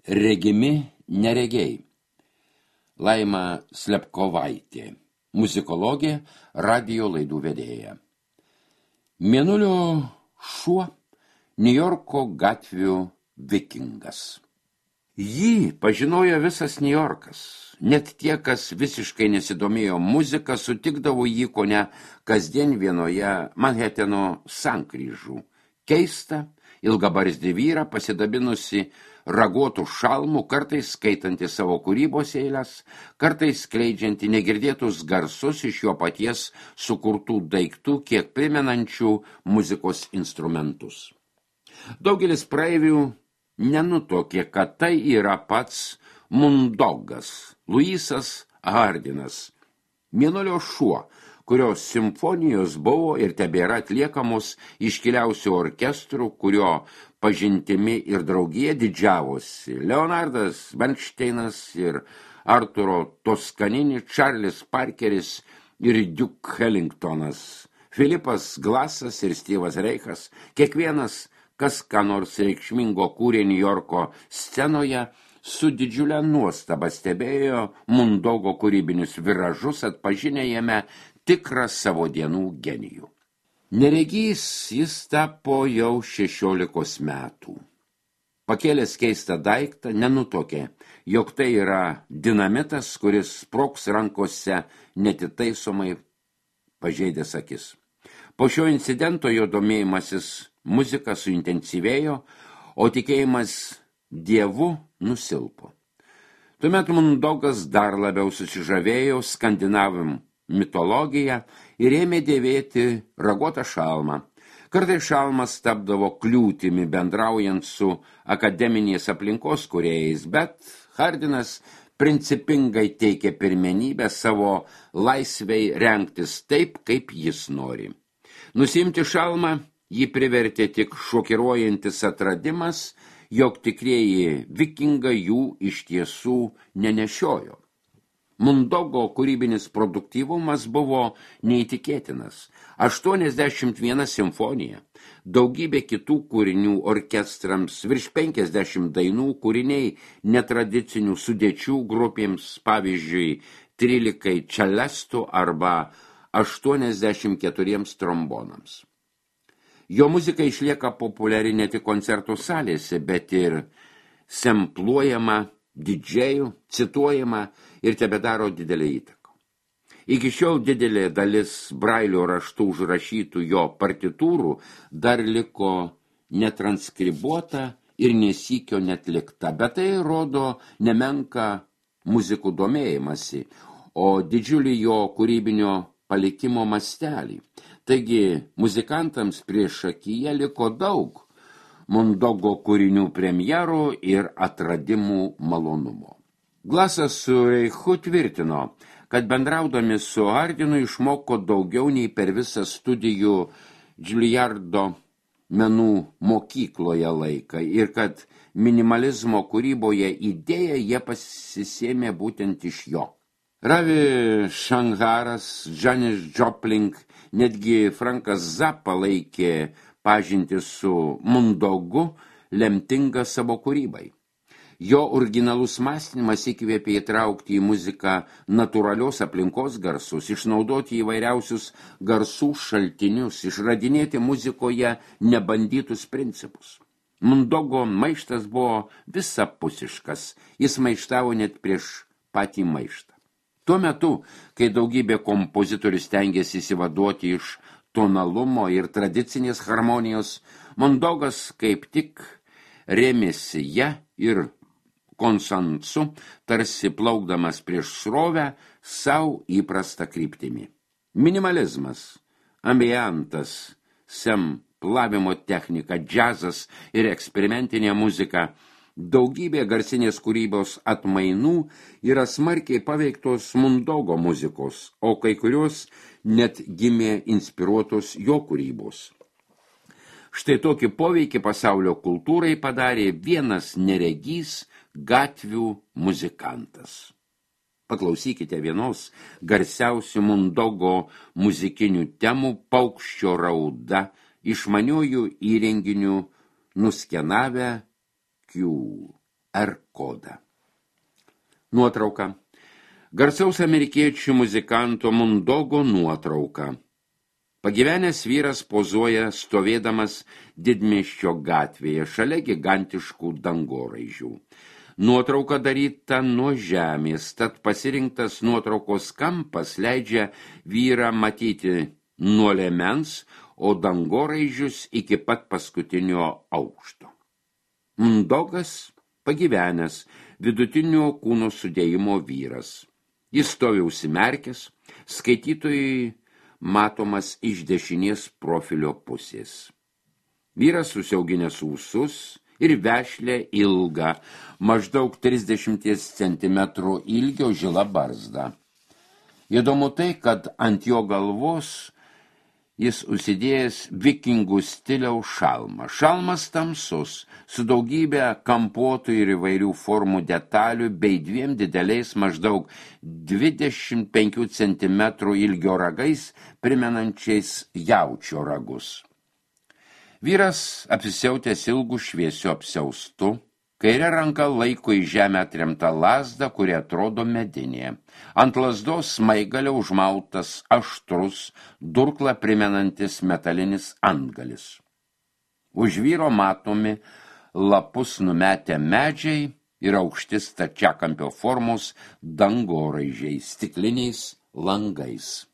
Regimi neregiai. Laima Slepkovaitė, muzikologė, radijo laidų vedėja. Mėnulio šuo, Niujorko gatvių vikingas. Jį pažinojo visas Niujorkas. Net tie, kas visiškai nesidomėjo muzika, sutikdavo jį kone kasdien vienoje Manheteno sankryžų. Keista, ilgabarzdį vyrą pasidabinusi raguotų šalmų, kartais skaitanti savo kūrybos eiles, kartais skleidžianti negirdėtus garsus iš jo paties sukurtų daiktų, kiek primenančių muzikos instrumentus. Daugelis praeivių nenutokė, kad tai yra pats Mundogas, Luisas Hardinas, Mėnulio šuo, kurios simfonijos buvo ir tebėra atliekamos iškiliausių orkestrų, kurio pažintimi ir draugija didžiavosi Leonardas Bernšteinas ir Arturo Toskanini, Čarlis Parkeris ir Duke Ellingtonas, Filipas Glasas ir Styvas Reichas. Kiekvienas, kas ką nors reikšmingo kūrė Niujorko scenoje, su didžiulė nuostaba stebėjo Mundogo kūrybinius viražus, atpažinę jame tikrą savo dienų genijų. Neregys jis tapo jau 16 metų. Pakėlęs keistą daiktą, nenutokė, jog tai yra dinamitas, kuris sprogs rankose netitaisomai pažeidęs akis. Po šio incidento jo domėjimasis muzika suintensyvėjo, o tikėjimas Dievu nusilpo. Tuomet Mundogas dar labiau susižavėjo skandinavų mitologiją ir ėmė dėvėti raguotą šalmą. Kartais šalmas tapdavo kliūtimi bendraujant su akademinės aplinkos kūrėjais, bet Hardinas principingai teikė pirmenybę savo laisvei rengtis taip, kaip jis nori. Nusiimti šalmą jį privertė tik šokiruojantis atradimas, jog tikrieji vikingai jų iš tiesų nenešiojo. Mundogo kūrybinis produktyvumas buvo neįtikėtinas. 81 simfonija, daugybė kitų kūrinių orkestrams, virš 50 dainų, kūriniai netradicinių sudėčių grupėms, pavyzdžiui, 13 čelestų arba 84 trombonams. Jo muzika išlieka populiari ne tik koncertų salėse, bet ir sempluojama didžėjų, cituojama ir tebedaro didelę įtaką. Iki šiol didelė dalis brailio raštų užrašytų jo partitūrų dar liko netranskribuota ir nesykio netlikta, bet tai rodo nemenką muzikų domėjimąsi, o didžiulį jo kūrybinio palikimo mastelį. Taigi muzikantams prieš akiją liko daug Mundogo kūrinių premjerų ir atradimų malonumo. Glasas su Reichu tvirtino, kad bendraudami su Hardinu išmoko daugiau nei per visą studijų Juilliardo menų mokykloje laiką ir kad minimalizmo kūryboje idėją jie pasisėmė būtent iš jo. Ravi Shankaras, Janis Joplin, netgi Frankas Zappa laikė pažintį su Mundogu lemtingą savo kūrybai. Jo originalus mąstymas įkvėpė įtraukti į muziką natūralios aplinkos garsus, išnaudoti įvairiausius garsų šaltinius, išradinėti muzikoje nebandytus principus. Mundogo maištas buvo visapusiškas, jis maištavo net prieš patį maištą. Tuo metu, kai daugybė kompozitorių stengiasi įsivaduoti iš tonalumo ir tradicinės harmonijos, Mundogas kaip tik rėmėsi ja ir konsensu, tarsi plaukdamas prieš srovę savo įprastą kryptimį. Minimalizmas, ambientas, semplavimo technika, džiazas ir eksperimentinė muzika, daugybė garsinės kūrybos atmainų yra smarkiai paveiktos Mundogo muzikos, o kai kurios net gimė inspiruotos jo kūrybos. Štai tokį poveikį pasaulio kultūrai padarė vienas neregys gatvių muzikantas. Paklausykite vienos garsiausių Mundogo muzikinių temų Paukščio rauda, išmaniųjų įrenginių nuskenavę Q. R kodą. Nuotrauka. Garsaus amerikiečių muzikanto Mundogo nuotrauka. Pagyvenęs vyras pozuoja stovėdamas didmiesčio gatvėje šalia gigantiškų dangoraižių. Nuotrauka daryta nuo žemės, tad pasirinktas nuotraukos kampas leidžia vyrą matyti nuo liemens, o dangoraižius iki pat paskutinio aukšto. Mundogas pagyvenęs, vidutinio kūno sudėjimo vyras. Jis stovi užsimerkęs, skaitytojui matomas iš dešinės profilio pusės. Vyras susiauginęs ūsus ir vešlę ilgą, maždaug 30 cm ilgio žila barzda. Įdomu tai, kad ant jo galvos jis užsidėjęs vikingų stiliaus šalmą. Šalmas tamsus, su daugybė kampuotų ir įvairių formų detalių bei 2 dideliais maždaug 25 cm ilgio ragais, primenančiais jaučio ragus. Vyras apsisiautęs ilgų šviesių apsiaustu, kairė ranka laiko į žemę atremtą lazdą, kuri atrodo medinė. Ant lazdos smaigalio užmautas aštrus, durklą primenantis metalinis antgalis. Už vyro matomi lapus numetę medžiai ir aukšti stačiakampio formos dangoraižiai stikliniais langais.